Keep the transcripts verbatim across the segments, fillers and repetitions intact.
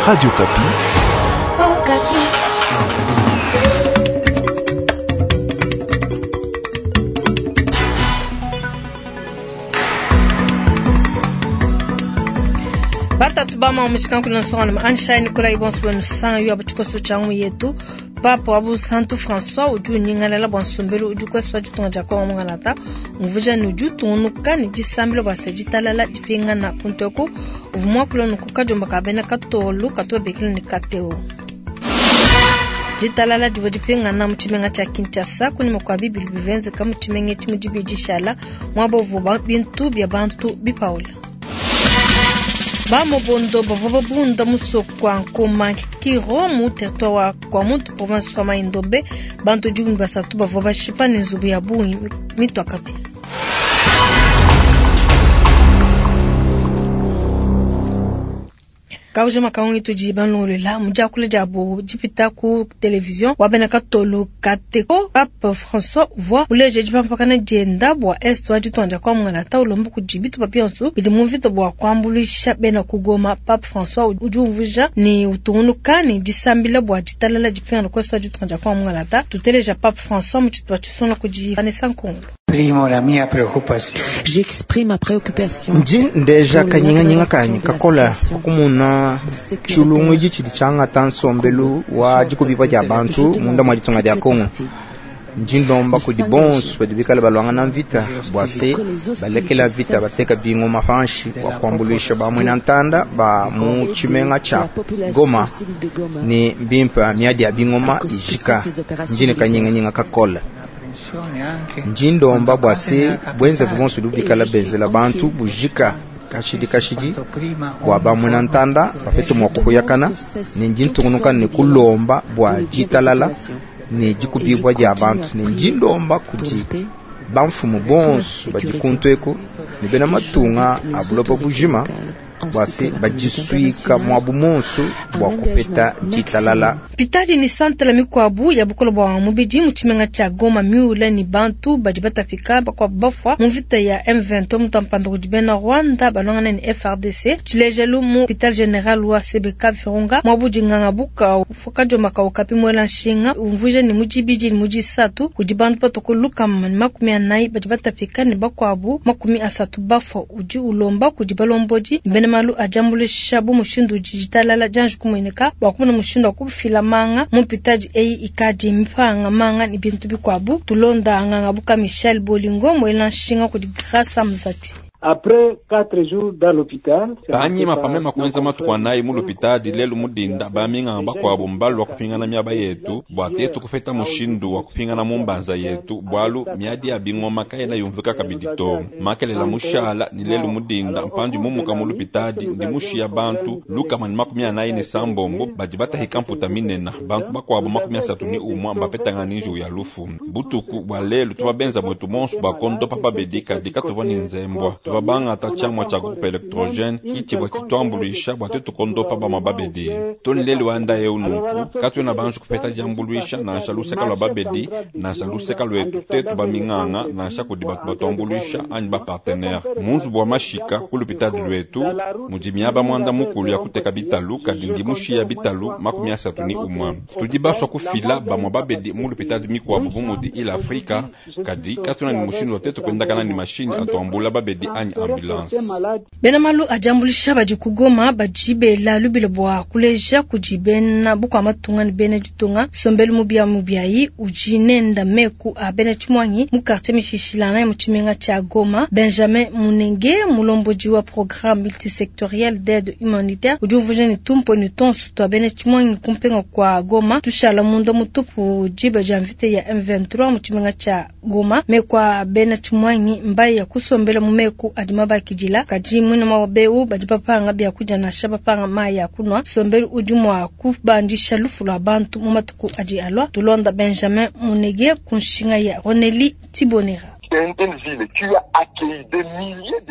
Radio Okapi. Okapi. Batatu bama omushikanku nsonga Ansha Nicolas Ibonso nsan yo abuchikoso changu yetu Papa wabu Santu François udi unyingalala bua nsombelu udi kweswa ditunga dia Kongo mungalata umvuja ne udi utungunuka ne disambila bua se ditalala dipingana kunteku uvua muakula nunku kadiomba ka bena katolu katobekela ne kateo. Ditalala divua dipingana mu tshimenga tshia Kinshasa kunyima kua bibili bivenzeka mu tshimenga etshi mu dibidi dishala muaba uvua bintu bia bantu bipaula. Bamobondo bavua babunda musoko wa Nkoma Kiro mu territoire wa Kwamouth province wa Mai-Ndombe bantu dikumi basatu bavua bashipa ne nzubu ya bungi mitua kapia. Kauja makangu tudi banlolela mujakule diabo dipita ku television wabena katolu kateko Pape François uvua uleje dipampakana dienda bua est wa ditonda kwa mungana ulomba kudi bitu bionso bidi mu mvita bua kuambuluisha bena kugoma. Pape François udi umvuja ni utungunuka ni disambila bua ditalala dipingana ku est wa ditonda kwa mungana. Tuteleja Pape François mu tshitupa tshisonga kudi Vanessa Nkongolo. Primo la mia preoccupazione. J'exprime ma préoccupation. Ndi ndeja kanyinganyinga kanyi kakola kumuna chilungu ichi chili changata nsombelu wa dikubipa dia bantu munda mwa ditunga dia Kongo. Ndi ndomba kudi bonso badi bikale balwangana mvita bua se balekela vita bateka bingoma panshi bua kuambuluisha bamwena ntanda ba mu tshimenga tshia Goma ni mbimpa miadi ya bingoma ijika ndine kanyinganyinga kakola. Ndi ndomba bua se bwenzevu bonso bikala benzela bantu bujika kashidi kashidi bua bamwena ntanda bapete mua kuhuyakana ne ndi ntungunuka ne kulomba bua ditalala ne dikubibua dia bantu ne ndi ndomba kudi bamfumu bonso badi kuntu eku ne bena matunga a buloba bujima bua se badisuika muabu monso bua kupeta ditalala. Pitadi ni santela mikuabu ya bukolo bua mubidi mu tshimenga tshia Goma miula ni bantu badi batapika bakwabu bafua mu mvita ya M vingt-trois mutampanda kudi bena Rwanda balongana ni F R D C. Tshilejelu mu hôpital général wa C B K Virunga muabu dinganga buka ufukajoma ka okapi mwela nshinga umvuja ni mujibidi ni mujisatu kudi bantu patokoluka ni makumi anayi badi batapika ni bakwabu makumi asatu bafua udi ulomba kudi balombodi bena malu ajambulisha bu mushindu ditalala janju kumweneka bua kumona mushindu wa kufila manga mu mpitaji eyi ikadi mipanga manga ni bintu bikuabu. Tulonda nganga buka Michel Bolingo mwela nshinga kudi Grâce Mzati. Après quatre jours dans l'hôpital, panyima pamema kuenza matuku anayi mu lupitadi lelu mudinda baminganga bakuabu mbalu wa kupingana miaba yetu bua tetu kufeta mushindu wa kupingana mu mbanza yetu bwalu miadi ya bingoma kayena yumvika kabidi to makelela mushala ni lelu mudinda mpanji mumuka mu lupitadi ndi mushiya bantu lukama ni makumi anayi ne sambombo badi batahika mputa minena bantu bakuabu makumi asatu ni umwa mbapetanga ni nju ya lufu butuku bwa lelu tubabenza mwetu monso bakondopa babedika dikatuvua ni nzembwa bangata tshiamua tshia groupe électrogène kitshivua tshituambuluisha bua tetu kondopa bamua babedi toni lelu wanda eu nunku katuena banji kupeta diambuluisha nansha luseka lua babedi nansha luseka luetu tetu baminganga nansha kudi batu batuambuluisha anyi bapartenaire munzubu wa mashika ku lupitadi luetu mudi miaba muanda mukulu ya kuteka bitalu kadi ndi mushiya bitalu makumi asatu ni umwa tudi basua kufila bamua babedi mu lupitadi mikuabu bu mudi ila Afrika kadi katuena ni mushindu wa tetu kuendakana ni mashini atuambula babedi anyi ambulance. Bena malu ajambulisha badi kugoma badi bela lubilo bua kuleja kudi bena bukua matunga ni bena ditunga sombelu mubia mubiayi udi nenda meku a bena tshimwangi mu quartier mishishilana ya mu tshimenga tshia Goma. Benjamin Munenge mulombodi wa programme multisectoriel d'aide humanitaire udi uvuja ni tumpo ni tonsu twa bena tshimwangi kumpenga kwa Goma tushala munda mutupu diba dia mvita ya M vingt-trois mu tshimenga tshia Goma mekwa bena tshimwangi mbayi ya kusombela mu meku adi mabakidila kadi mwina mabeu badi bapanga bya kuja na shaba panga mayi ya kunwa sombelu udi mwa kubandisha lufu lwa bantu mu matuku adi alwa. Tulonda Benjamin Munege kunshinga ya Roneli Tibonera.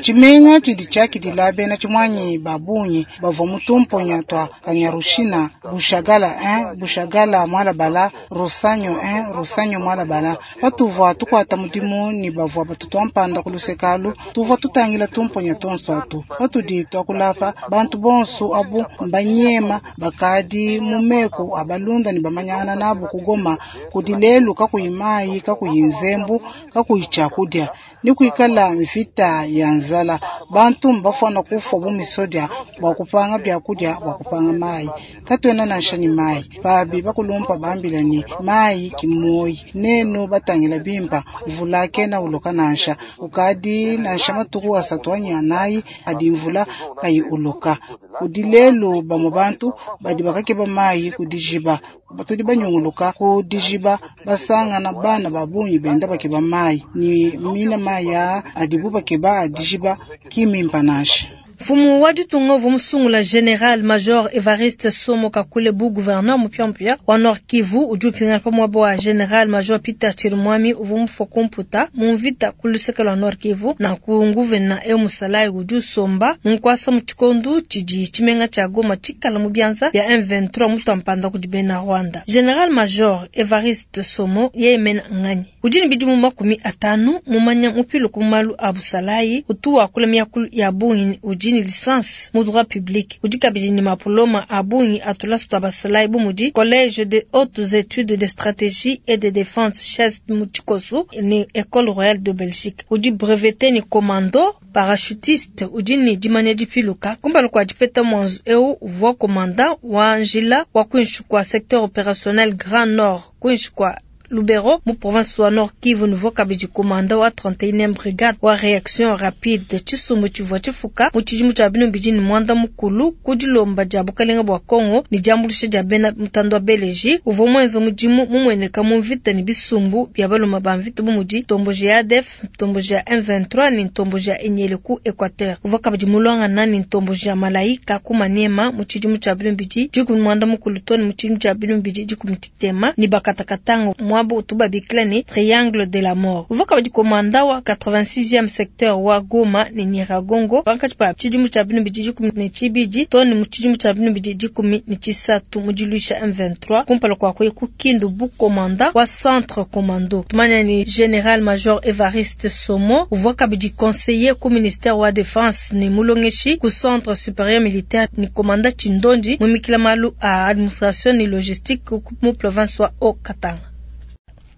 Tshimenga tshidi tshiakidila bena tshimuangi ba bungi bavua mu tumponya tua Kanyaruchinya, Bushagala un, Bushagala Mualabala, Rusanyo un, Rusanyo Mualabala. Patuvua tukuata mudimu ne bavua batutua mpanda ku luseke alu, tuvua tutangila tumponya tuonso atu. Patudi tuakulapa bantu bonso abu mbanyema bakadi mu meku a balunda ne bamanyangana nabu ku Goma kudi lelu kakuyi mayi, kakuyi nzembu, kakuyi tshiakudia ni kuikala mvita ya nzala. Bantu mbafwana kufwa bu misodia bua kupanga byakudia bua kupanga mayi. Katuena nansha ni mayi pabi bakulumpa bambila ni mayi kimoyi nenu batangila bimpa mvula kena uloka nansha ukadi nansha matuku asatu anyi anayi adi mvula kayi uloka. Kudi lelu bamwe bantu badi bakakeba mayi kudijiba batudi banyunguluka kudijiba basangana bana babunyi benda bakeba mayi ni mina maya adibu bakeba adijiba kimimpa nansha. Mfumu wa ditunga uvua musungula General Major Evariste Somo Kakule bu gouverneur mupiamupia wa Nord Kivu udi upingana pa muaba wa General Major Peter Chirimwami uvua mufua kumputa mu mvita ku luseke lua Nord Kivu. Nanku nguvena eu musalayi udi usomba mu nkuasa mu tshikondu tshidi tshimenga tshia Goma tshikala mu bianza bia M vingt-trois mutua mpanda kudi bena Rwanda. General Major Evariste Somo yeye mena nganyi udi ne bidimu makumi atanu mumanya mupiluka mu malu a busalayi utu wakula miakulu ya bungi udi ni licence mu droit public udi kabidi ni mapoloma a bungi atulasu twa basalayi bu mudi Collège de hautes études de stratégie et de défense C H E S mu Tshikosu ni École royale de Belgique. Udi breveté ni commando parachutiste udi ni dimanya dipiluka kumpala kua dipeta mwanzu eu uvua commandant wa njila wa kuinshi kwa secteur opérationnel Grand Nord kuinshi kwa Lubero mu province wa Nord Kivu nouveau kabidi commandant wa trente et unième brigade wa réaction rapide tshisumbu tshivua tshifuka mu tshidimu tshia binu bidi ni mwanda mukulu ku dilomba dia bukalenga bua Kongo ni diambulusha dia bena mutando wa Beleji uvua mwenza mudimu mumueneka mu mvita ni bisumbu bia baluma ba mvita bu mudi ntomboji ya A D F, ntomboji ya M vingt-trois ni ntomboji ya Enyele ku Equateur. Uvua kabidi mulwangana ni ntomboji ya Malaika ku Maniema mu tshidimu tshia binu bidi dikumi mwanda mukulu to ni mu tshidimu tshia binu bidi dikumi titema ni bakatakatanga mwabo utuba bikla ni Triangle de la Mort. Uvua kabidi komanda wa quatre-vingt-sixième secteur wa Goma ni Nyiragongo pankatshi pa tshidimu tshia binu bidi dikumi ne tshibidi to ni mu tshidimu tshia binu bidi dikumi ne tshisatu mu diluisha M vingt-trois kumpala kua kuya ku Kindu bu komanda wa centre commando. Tumanya ni General Major Evariste Somo uvua kabidi conseiller ku ministère wa défense ni mulongeshi ku centre supérieur militaire ni komanda Tshindondi mumikila malu a administration ni logistique mu province wa Haut-Katanga.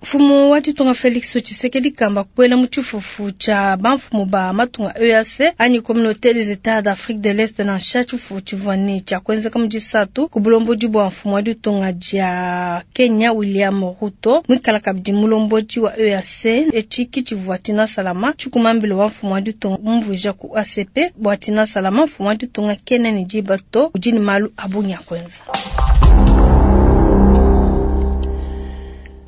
Mfumu wa ditunga Felix Tshisekedi kamba kuela mu tshifufu tshia bamfumu ba matunga E A C anyi Communauté des États d'Afrique de l'Est nansha tshifufu tshivua ne tshia kuenzeka mu disatu ku bulombodi bua mfumu wa ditunga dia Kenya William Ruto mwikala kabidi mulombodi wa E A C etshiki tshivua Tina Salama tshikumambile wa mfumu wa ditunga mumvuija ku A C P bua Tina Salama mfumu wa ditunga Kenya ne dibato udi ne malu a bungi a kuenza.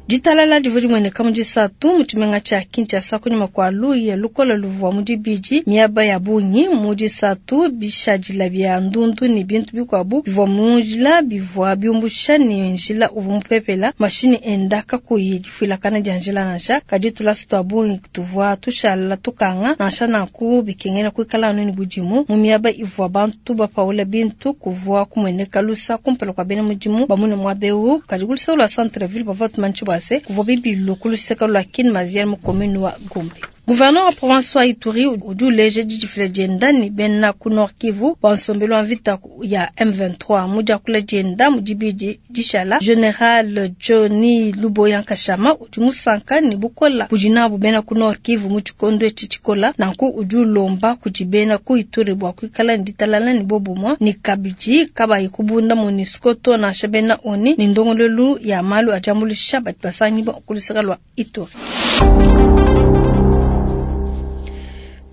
Ditalala divua dimueneka mu disatu mu tshimenga tshia Kinshasa kunyima kua luya lukola luvua mu dibidi miaba ya bungi mu disatu bishadila bia ndundu ne bintu bikuabu bivua mu njila bivua biumbusha ne njila uvua mupepela mashini enda kakuyi difuilakana dia njila nansha kadi tulasu tua bungi tuvua tushala tukanga nansha nanku bikengela kuikala anu ne budimu mu miaba ivua bantu bapaula bintu kuvua kumueneka lusa kumpala kua bena mudimu bamune muaba eu kadi kuluseke lua centre ville bavua tumanyishi bua se kuvua bibilu ku luseke lua Kin Maziel mu commune wa Gombe. Gouverneur wa province wa Ituri udi uleja didifila dienda ne bena ku Nord Kivu bua nsombelu wa mvita ya M vingt-trois mu diakula dienda mu dibidi dishala General Johnny Luboya Nkashama udi musanka ne bukola budi nabu bena ku Nord Kivu mu tshikondo etshi tshikola nanku udi ulomba kudi bena ku Ituri bua kuikala ne ditalala ne bobumue ne kabidi kabayi kubunda MONUSCO to nansha bena ONU ne ndongoluelu ya malu a diambuluisha badi basangibua ku luseke lua Ituri.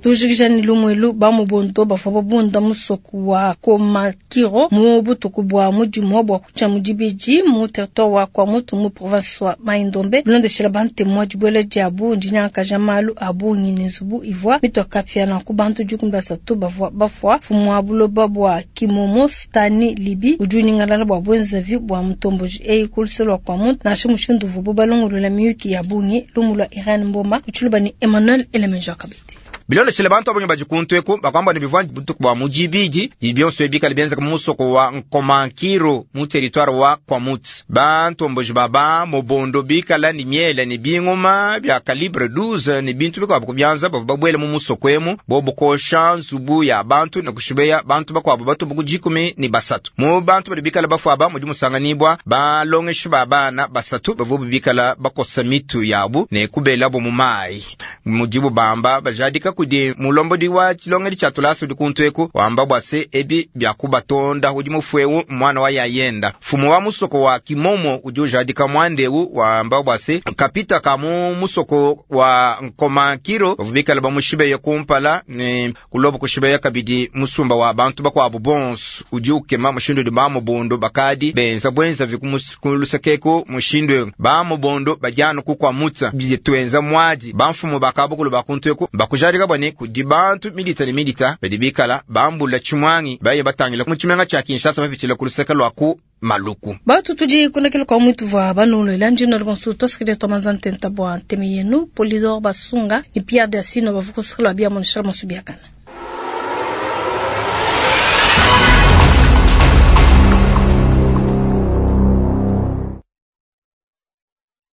Tujikija ni lumuelu ba mubondo bavua babunda musoku wa Komakiro mu butuku bua mudimu bua kucha mudibidi mu territoire wa Kwamutu mu province wa Mai-Ndombe bilondeshela bantemu dibuela diabu ndinyangakaja malu a bungi ne nzubu ivua mitwakapia na ku bantu dikumi basatu bavua bafua mfumu wa buloba bua Kimomo Stani Libi udi unyingalala bua bwenzavi bua mutomboji eyi ku luse lua Kwamutu nansha mushindu uvuabu balongolola miyuki ya bungi lumu lua Irene Mboma utshiluba ni Emmanuel Elemenjo Kabidi. Bilondeshele bantu abonye bajikuntu eku bakwamba ne bivua butuku bua mujibidi bionso ebikala bienzeka mu musoko wa Nkomankiro mu territoire wa Kwamutu. Bantomboji baba mobondo bikala ni miele ni bingoma bya calibre douze ni bintu bikwabu kubyanza bavua babwele mu musoko emu bobukosha nzubu ya bantu na kushibeya bantu bakwabo batubu kujikumi ni basatu. Mu bantu badi bikala bafuaba mudi musanganibwa balongeshi ba bana basatu bavua bikala bakosa mitu yabu ne kubelabo mu mai. Mudibu bamba bajadika kudi mulombodi wa chilongeli cha tulasa udi kuntu eku wamba bwase ebi byakubatonda udi mufwewu mwana wa yayenda. Fumu wa musoko wa Kimomo udi ujadika mwandewu wamba bwase kapita ka mu musoko wa Nkomankiro bavubikala bamushibeye kumpala ne kulobo kushibeya kabidi musumba wa bantu bakwabo bonso udi ukema mushindu udi bamubondo bakadi benza bwenza vikumulusakeko mushindu bamubondo bajana kukwamutsa bituenza mwadi bamfumu bakabukulu bakuntu eku bakujadika bwane kudi bantu milita ne milita badi bikala bambula chimwangi baye batangila mu chimenga cha Kinshasa bapitshila ku luseke lwa ku Maluku. Batu tudi kunakela kwa mwitu vwa banulo ilanji na lubansu tosikile tomanza ntenta bwa nteme yenu Polidor Basunga ni Pierre de Asino bavukusikila bia monishara masubiakana.